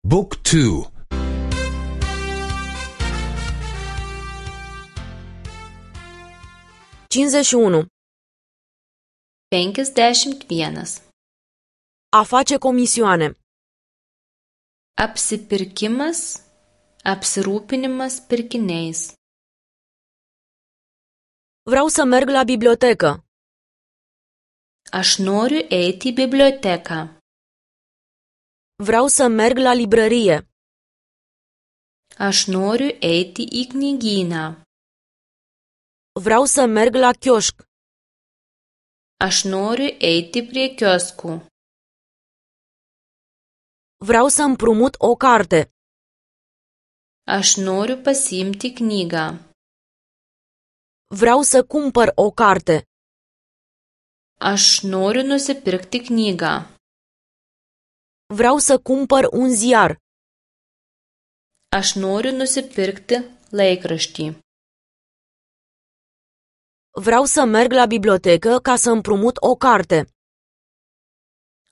Book 2. 51. 51. A face comisioane. Apsipirkimas, apsirūpinimas pirkiniais. Vreau să merg la bibliotecă. Aš noriu eiti į biblioteką. Vreau să merg la librărie. Aš noriu eiti į knygyną. Vreau să merg la chioșc. Aš noriu eiti prie kioskų. Vreau să împrumut o carte. Aš noriu pasiimti knygą. Vreau să cumpăr o carte. Aš noriu nusipirkti knygą. Vreau să cumpăr un ziar. Aš noriu nusipirkti laikraštį. Vreau să merg la bibliotecă ca să împrumut o carte.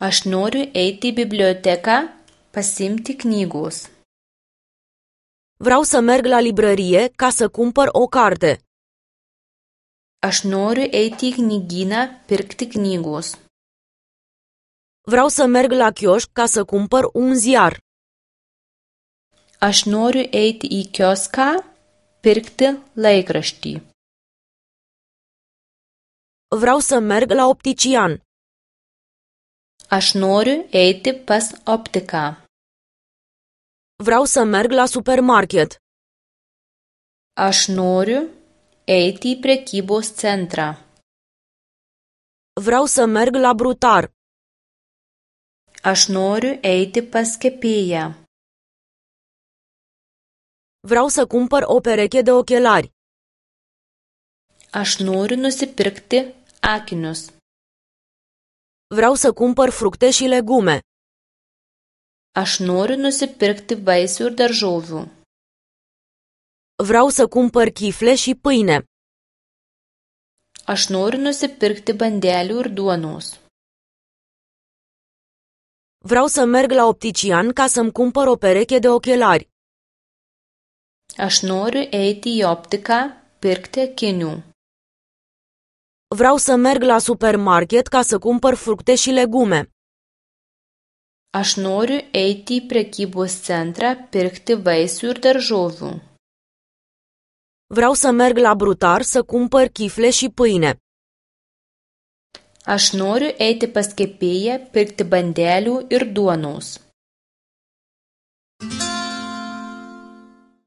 Aš noriu eiti į biblioteką pasiimti knygos. Vreau să merg la librărie ca să cumpăr o carte. Aš noriu eiti į knygyną pirkti knygos. Vreau să merg la chioșc ca să cumpăr un ziar. Aš noriu eiti į kioską pirkti laikraštį. Vreau să merg la optician. Aš noriu eiti pas optiką. Vreau să merg la supermarket. Aš noriu eiti į prekybos centrą. Vreau să merg la brutar. Aš noriu eiti pas kepėją. Vreau să cumpăr o pereche de ochelari. Aš noriu nusipirkti akinius. Vreau să cumpăr fructe și legume. Aš noriu nusipirkti vaisių ir daržovių. Vreau să cumpăr chifle și pâine. Aš noriu nusipirkti bandelių ir duonos. Vreau să merg la optician ca să-mi cumpăr o pereche de ochelari. Aš noriu eiti į optiką pirkti akinių. Vreau să merg la supermarket ca să cumpăr fructe și legume. Aš noriu eiti į prekybos centrą pirkti vaisių ir daržovių. Vreau să merg la brutar să cumpăr chifle și pâine. Aš noriu eiti pas kepėją pirkti bandelių ir duonos.